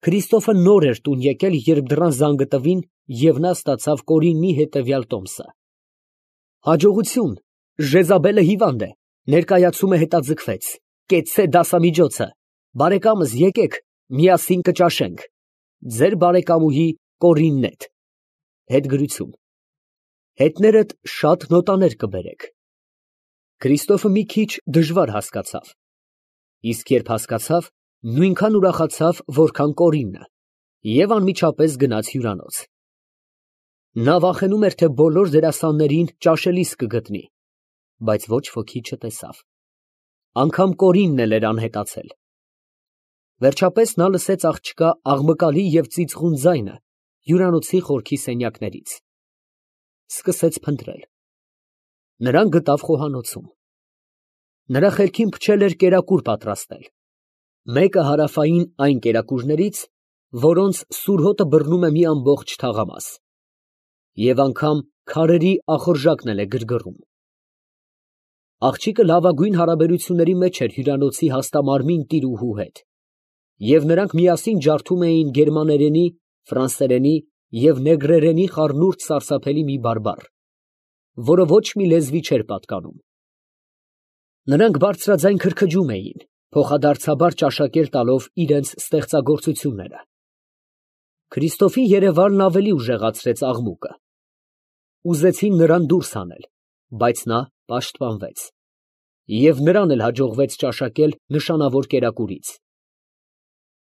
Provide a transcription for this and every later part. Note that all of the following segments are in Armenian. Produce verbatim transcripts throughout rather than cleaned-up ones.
Քրիստոֆը նոր էր տուն եկել, երբ դռան զանգը տվին, և նա ստացավ Կորիննի հետևյալ տոմսը. «Հաջողություն, Ժեզաբելը հիվանդ է, ներկայացում է հետաձգվեց, կեցցե դասամիջոցը, բարեկամս եկեք, միասին կճաշենք. ձեր բարեկամուհի Կորիննետ»։ Հետգրություն։ Հետներդ շատ նոտաներ կբերեք։ Քրիստոֆը մի քիչ դժվար հասկացավ, իսկ երբ հասկացավ, նույնքան ուրախացավ, որքան Կորիննը, և անմիջապես գնաց հյուրանոց։ Նա վախենում էր, թե բոլոր դերասաններին ճաշելիս կգտնի, բայց ոչ ոքի չտեսավ, անգամ Կորիննն էլ էր անհետացել։ Վերջապես նա լսեց աղջկա աղմկալի և ծիծաղուն ձայնը հյուրանոցի խորքի սենյակներից, սկսեց փնտրել։ Նրան գտավ խոհանոցում։ Նրա խելքին փչել էր կերակուր պատրաստել, մեկը հարավային այն կերակուրներից, որոնց սուր հոտը բռնում է մի ամբողջ թաղամաս, և անգամ քարերի ախորժակն էլ է գրգռում։ Աղջիկը լավագույն հարաբերությունների մեջ էր հյուրանոցի հաստամարմին տիրուհու հետ, և նրանք միասին ջարդում էին գերմաներենի, ֆրանսերենի և նեգրերենի խառնուրդ սարսափելի մի բարբառ, որը ոչ մի լեզվի չէր պատկանում։ Նրանք բարձրաձայն քրքջում էին, փոխադարձաբար ճաշակել տալով իրենց ստեղծագործությունները։ Քրիստոֆի երևալն ավելի ուժեղացրեց աղմուկը։ Ուզեցին նրան դուրս հանել, բայց նա պաշտպանվեց, և նրան էլ հաջողվեց ճաշակել նշանավոր կերակուրից։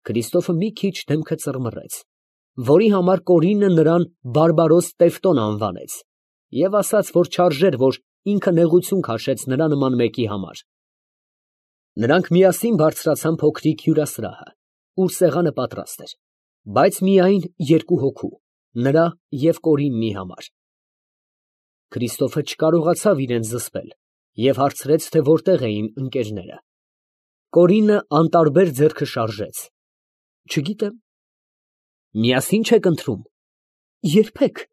Քրիստոֆը մի քիչ դեմքը ծռմռեց, որի համար Կորիննը նրան բարբարոս Տևտոն անվանեց և ասաց, որ չարժեր, որ ինքը նեղություն քաշեց նրա նման մեկի համար։ Նրանք միասին բարձրացան փոքրիկ հյուրասրահը, ուր սեղանը պատրաստ էր, բայց միայն երկու հոգու, նրա և Կորիննի համար։ Քրիստոֆը չկարողացավ իրեն զսպել և հարցրեց, թե որտեղ էին ընկերները։ Կորիննը անտարբեր ձեռքը շարժեց. Չգիտեմ։ Միասին չե՞ք ընթրում։ Երբեք։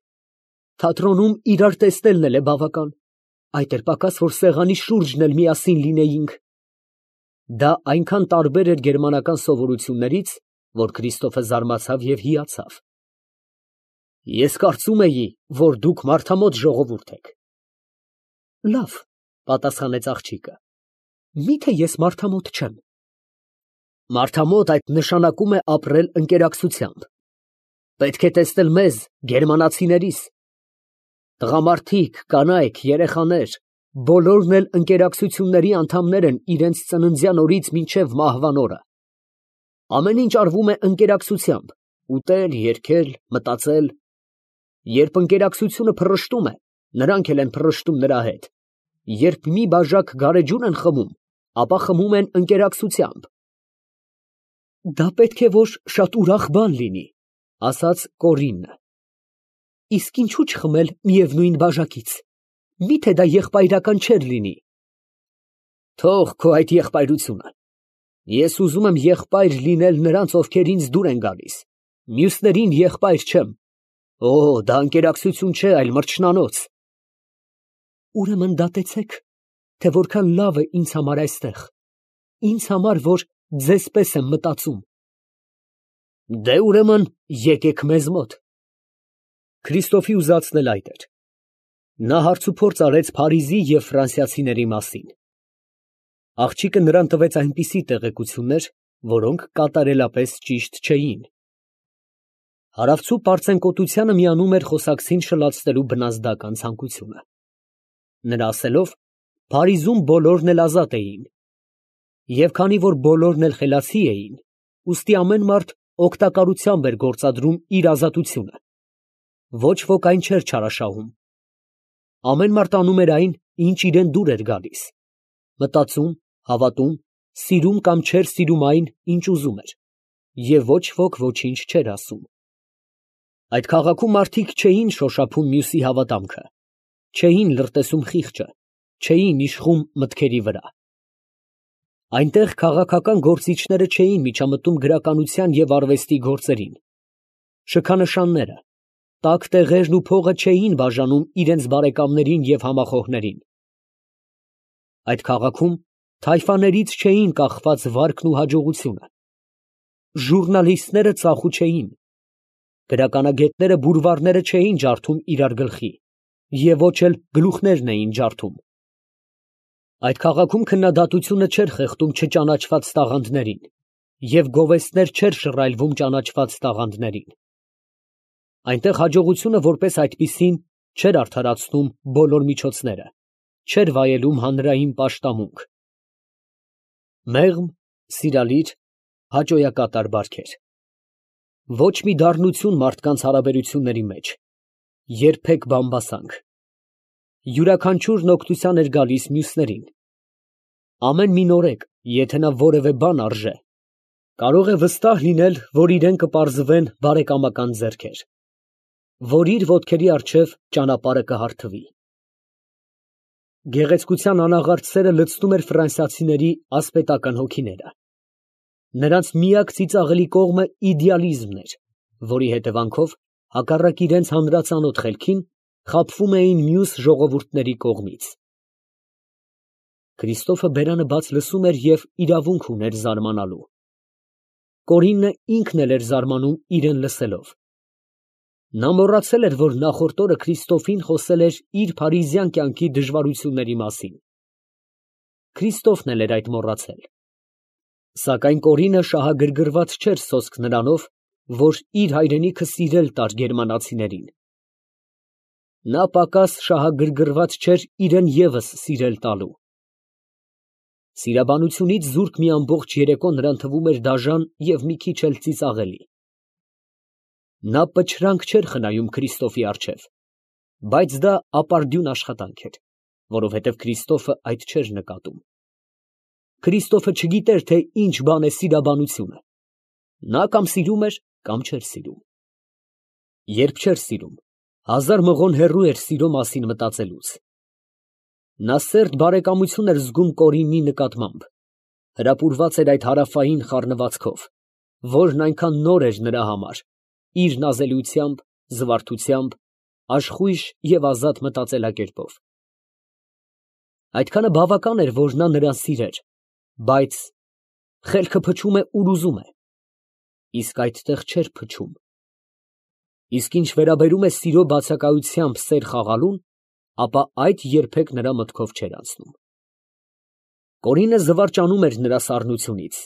Թատրոնում իրար տեսնելն էլ է բավական, այդ էլ պակաս, որ սեղանի շուրջն էլ միասին լինեինք։ Դա այնքան տարբեր էր գերմանական սովորություններից, որ Քրիստոֆը զարմացավ և հիացավ։ Ես կարծում էի, որ դուք մարդամոտ ժողովուրդ եք։ Լավ, պատասխանեց աղջիկը, միթե ես մարդամոտ չեմ։ Մարդամոտ այդ նշանակում է ապրել ընկերակցությամբ։ Պետք է տեսնել մեզ, գերմանացիներիս։ Տղամարդիկ, կանայք, երեխաներ, բոլորն էլ ընկերակցությունների անդամներ են իրենց ծննդյան օրից մինչև մահվան օրը։ Ամեն ինչ արվում է ընկերակցությամբ, ուտել, երգել, մտածել։ Երբ ընկերակցությունը փռշտում է, նրանք էլ են փռշտում նրա հետ։ Երբ մի բաժակ գարեջուր են խմում, ապա խմում են ընկերակցությամբ։ Դա պետք է որ շատ ուրախ բան լինի, ասաց Կորիննը։ Իսկ ինչու չխմել միևնույն բաժակից, միթե դա եղբայրական չէր լինի։ Թող քո այդ եղբայրությունը։ Ես ուզում եմ եղբայր լինել նրանց, ովքեր ինձ դուր են գալիս, մյուսներին եղբայր չեմ։ Օ, դա ընկերակցություն չէ, այլ մրջնանոց։ Ուրեմն դատեցեք, թե որքան լավ է ինձ համար այստեղ, ինձ համար, որ ձեզ պես եմ մտածում։ Դե ուրեմն եկեք մեզ մոտ։ Քրիստոֆի ուզածն էլ այդ էր։ Նա հարցուփորձ արեց Փարիզի և ֆրանսիացիների մասին։ Աղջիկը նրան տվեց այնպիսի տեղեկություններ, որոնք կատարելապես ճիշտ չէին։ Հարավցու պարծենկոտությանը միանում էր խոսակցին շլացնելու բնազդական ցանկությունը։ Նրա ասելով, Փարիզում բոլորն էլ ազատ էին։ Եվ քանի որ բոլորն էլ խելացի էին, ուստի ամեն մարդ օգտակարությամբ էր գործադրում իր ազատությունը։ Ոչ ոք այն չէր չարաշահում։ Ամեն մարդ անում էր այն, ինչ իրան դուր էր գալիս, մտածում, հավատում, սիրում կամ չէր սիրում այն, ինչ ուզում էր, և ոչ ոք ոչինչ չէր ասում։ Այդ քաղաքում մարդիկ չէին շոշափում մյուսի հավատամքը, չէին լրտեսում խիղճը, չէին իշխում մտքերի վրա։ Այնտեղ քաղաքական գործիչները չէին միջամտում գրականության և արվեստի գործերին։ Շքանշանները, տաք տեղերն ու փողը չէին բաժանում իրենց բարեկամներին և համախոհներին։ Այդ քաղաքում թայֆաներից չէին կախված վարքն ու հաջողությունը։ ժուռնալիստները ծախու չէին, գրականագետները բուրվարները չէին ջարդում իրար գլխի, և ոչ էլ գլուխներն էին ջարդում։ Այդ քաղաքում քննադատությունը չէր խեղդում չճանաչված տաղանդներին, և գովեստներ չէր շռայլվում ճանաչված տաղանդներին։ Այնտեղ հաջողությունը որպես այդպիսին չէր արդարացնում բոլոր միջոցները, չէր վայելում հանրային պաշտամունք։ Մեղմ, սիրալիր, հաճոյակատար բարքեր։ Ոչ մի դառնություն մարդկանց հարաբերությունների մեջ, երբեք բամբասանք։ Յուրաքանչյուրն օգնության էր գալիս մյուսներին։ Ամեն մի նորեկ, եթե նա որևէ բան արժե, կարող է վստահ լինել, որ իրեն կպարզվեն բարեկամական ձեռքեր, որ իր ոտքերի առջև ճանապարհը կհարթվի։ Գեղեցկության անաղարտ սերը լցնում էր ֆրանսիացիների ասպետական հոգիները։ Նրանց միակ ծիծաղելի կողմը իդեալիզմն էր, որի հետևանքով, հակառակ իրենց հանրածանոթ խելքին, խաբվում էին մյուս ժողովուրդների կողմից։ Քրիստոֆը բերանը բաց լսում էր և իրավունք ուներ զարմանալու։ Կորիննը ինքն էլ էր զարմանում իրեն լսելով։ Նա մոռացել էր, որ նախորդ օրը Քրիստոֆին խոսել էր իր փարիզյան կյանքի դժվարությունների մասին։ Քրիստոֆն էլ էր այդ մոռացել։ Սակայն Կորինը շահագրգռված չէր սոսկ նրանով, որ իր հայրենիքը սիրել տար գերմանացիներին։ Նա պակաս շահագրգռված չէր իրեն ևս սիրել տալու։ Սիրաբանությունից զուրկ մի ամբողջ երեկո նրան թվում էր դաժան և մի քիչ էլ ծիծաղելի։ Նա պչրանք չէր խնայում Քրիստոֆի առջև, բայց դա ապարդյուն աշխատանք էր, որովհետև Քրիստոֆը այդ չէր նկատում։ Քրիստոֆը չգիտեր, թե ինչ բան է սիրաբանությունը։ Նա կամ սիրում էր, կամ չէր սիրում։ Երբ չէր սիրում, հազար մղոն հեռու էր սիրո մասին մտածելուց։ Նա սերտ բարեկամություն էր զգում Կորիննի նկատմամբ, հրապուրված էր այդ հարավային խառնվածքով, որն այնքան նոր էր նրա համար, իր նազելությամբ, զվարթությամբ, աշխույժ և ազատ մտածելակերպով։ Այդքանը բավական էր, որ նա նրան սիրեր, բայց խելքը փչում է, ուր ուզում է, իսկ այդտեղ չէր փչում։ Իսկ ինչ վերաբերում է սիրո բացակայությամբ սեր խաղալուն, ապա այդ երբեք նրա մտքով չէր անցնում։ Կորինը զվարճանում էր նրա սառնությունից։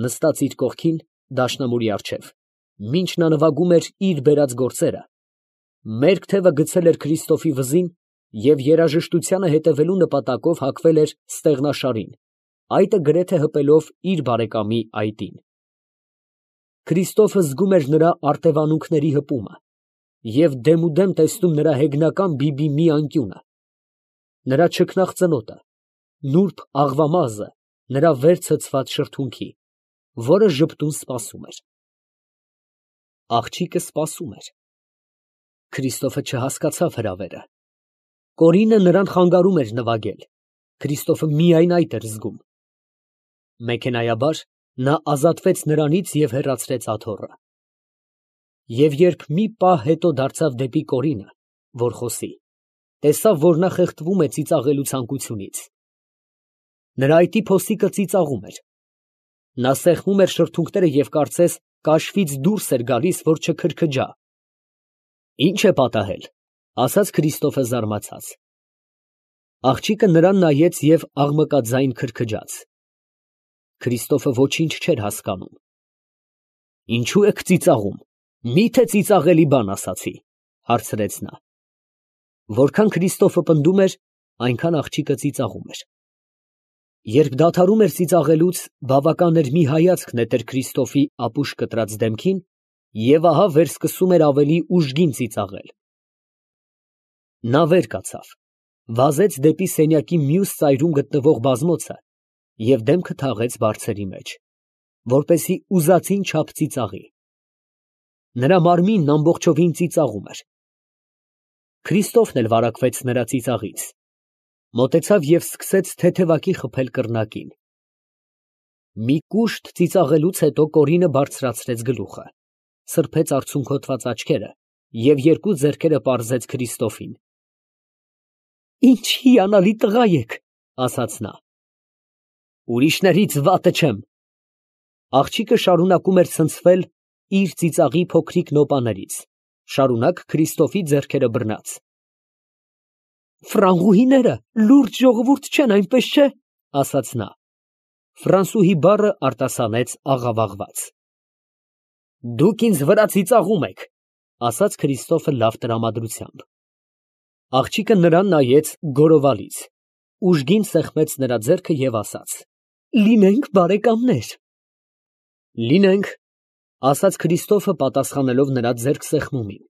Նստած իր կողքին, դաշնամուրի առջև, մինչ նա նվագում էր իր բերած գործերը, մերկ թևը գցել էր Քրիստոֆի վզին և երաժշտությանը հետևելու նպատակով հագվել էր ստեղնաշարին, այտը գրեթե հպելով իր բարեկամի այտին։ Քրիստոֆը զգում էր նրա արտևանունքների հպումը և դեմուդեմ տեսնում նրա հեգնական բիբի մի անկյունը, նրա չքնաղ ծնոտը, նուրբ աղվամազը նրա վեր ցցված շրթունքի, որը ժպտուն սպասում էր։ Աղջիկը սպասում էր։ Քրիստոֆը չհասկացավ հրավերը։ Կորինը նրան խանգարում էր նվագել, Քրիստոֆը միայն այդ էր զգում։ Մեքենայաբար նա ազատվեց նրանից և հեռացրեց աթոռը։ Եվ երբ մի պահ հետո դարձավ դեպի Կորինը, որ խոսի, տեսավ, որ նա խեղդվում է ծիծաղելու ցանկությունից։ Նրա այտի փոսիկը ծիծաղում էր։ Նա սեղմում էր շրթունքները և կարծես կաշվից դուրս էր գալիս, որ չքրքջա։ Ի՞նչ է պատահել, ֊ ասաց Քրիստոֆը զարմացած։ Աղջիկը նրան նայեց և աղմկաձայն քրքջաց։ Քրիստոֆը ոչինչ չէր հասկանում։ Ինչո՞ւ եք ծիծաղում, մի՞թե ծիծաղելի բան ասացի, ֊ հարցրեց նա։ Որքան Քրիստոֆը պնդում էր, այնքան աղջիկը ծիծաղում էր։ Երբ դադարում էր ծիծաղելուց, բավական էր մի հայացք նետեր Քրիստոֆի ապուշ կտրած դեմքին, և ահա վերսկսում էր ավելի ուժգին ծիծաղել։ Նա վեր կացավ, վազեց դեպի սենյակի մյուս ծայրում գտնվող բազմոցը և դեմքը թաղեց բարձերի մեջ, որպեսզի ուզածին չափ ծիծաղի։ Նրա մարմինն ամբողջովին ծիծաղում էր։ Քրիստոֆն էլ վարակվեց նրա ծիծաղից, մոտեցավ և սկսեց թեթևակի խփել կռնակին։ Մի կուշտ ծիծաղելուց հետո Կորինը բարձրացրեց գլուխը, սրբեց արցունքոտված աչքերը և երկու ձեռքերը պարզեց Քրիստոֆին։ Ինչ հիանալի տղա եք, ֊ ասաց նա։ Ուրիշներից վատը չեմ։ Աղջիկը շարունակում էր ցնցվել իր ծիծաղի փոքրիկ նոպաներից, շարունակ Քրիստոֆի ձեռքերը բռնած։ Ֆրանղուհիները լուրջ ժողովուրդ չեն, այնպես չէ, ասաց նա։ Ֆրանսուհի բառը արտասանեց աղավաղված։ Դուք ինձ վրա ծիծաղում եք, ասաց Քրիստոֆը լավ տրամադրությամբ։ Աղջիկը նրան նայեց գորովալից, ուժգին սեղմեց նրա ձեռքը և ասաց. Լինենք բարեկամներ։ Լինենք, ասաց Քրիստոֆը պատասխանելով նրա ձեռք սեղմումին։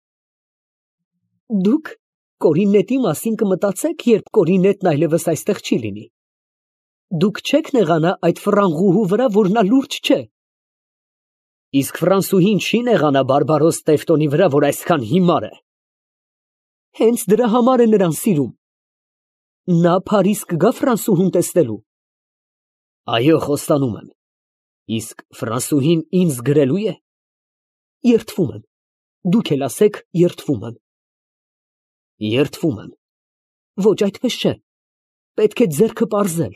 Դուք Կորինետի մասին կմտածեք, երբ Կորինետն այլևս այստեղ չի լինի։ Դուք չեք նեղանա այդ ֆրանղուհու վրա, որ նա լուրջ չէ։ Իսկ ֆրանսուհին չի նեղանա բարբարոս Տևտոնի վրա, որ այսքան հիմար է։ Հենց դրա համար է նրան սիրում։ Նա Փարիզ կգա ֆրանսուհուն տեսնելու։ Այո, խոստանում եմ։ Իսկ ֆրանսուհին ինձ գրելու է։ Երդվում եմ։ Դուք էլ ասեք երդվում եմ։ Երդվում եմ։ Ոչ, այդպես չէ։ Պետք է ձեռքը պարզել։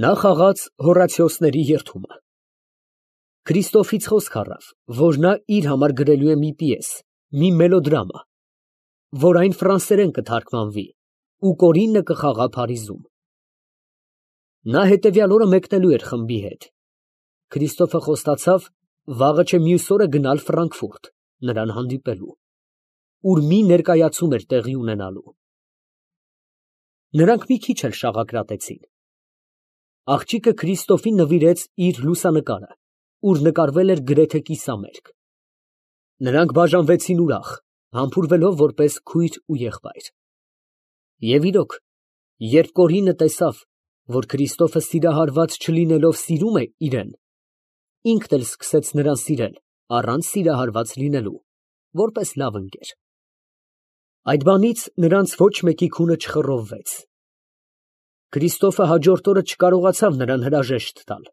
Նա խաղաց Հորացիոսների երդումը։ Քրիստոֆից խոսք առավ, որ նա իր համար գրելու է մի պիես, մի մելոդրամա, որ այն ֆրանսերեն կթարգմանվի, ու Կորինը կխաղա Փարիզում։ Նա հետևյալ օրը մեկնելու էր խմբի հետ։ Քրիստոֆը խոստացավ վաղը չէ մյուս օրը գնալ Ֆրանկֆուրտ, նրան հանդիպելու, ուր մի ներկայացում էր տեղի ունենալու։ Նրանք մի քիչ էլ շաղակրատեցին։ Աղջիկը Քրիստոֆին նվիրեց իր լուսանկարը, ուր նկարվել էր գրեթե կիսամերկ։ Նրանք բաժանվեցին ուրախ, համբուրվելով որպես քույր ու եղբայր։ Եվ իրոք, երբ Կորինը տեսավ, որ Քրիստոֆը սիրահարված չլինելով սիրում է իրեն, ինքն էլ սկսեց նրան սիրել, առանց սիրահարված լինելու, որպես լավ ընկեր։ Այդ բանից նրանց ոչ մեկի քունը չխռովվեց։ Քրիստոֆը հաջորդ օրը չկարողացավ նրան հրաժեշտ տալ,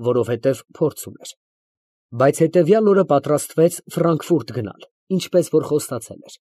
որովհետև փորձ ուներ, բայց հետևյալ օրը պատրաստվեց Ֆրանկֆուրտ գնալ, ինչպես որ խոստացել էր։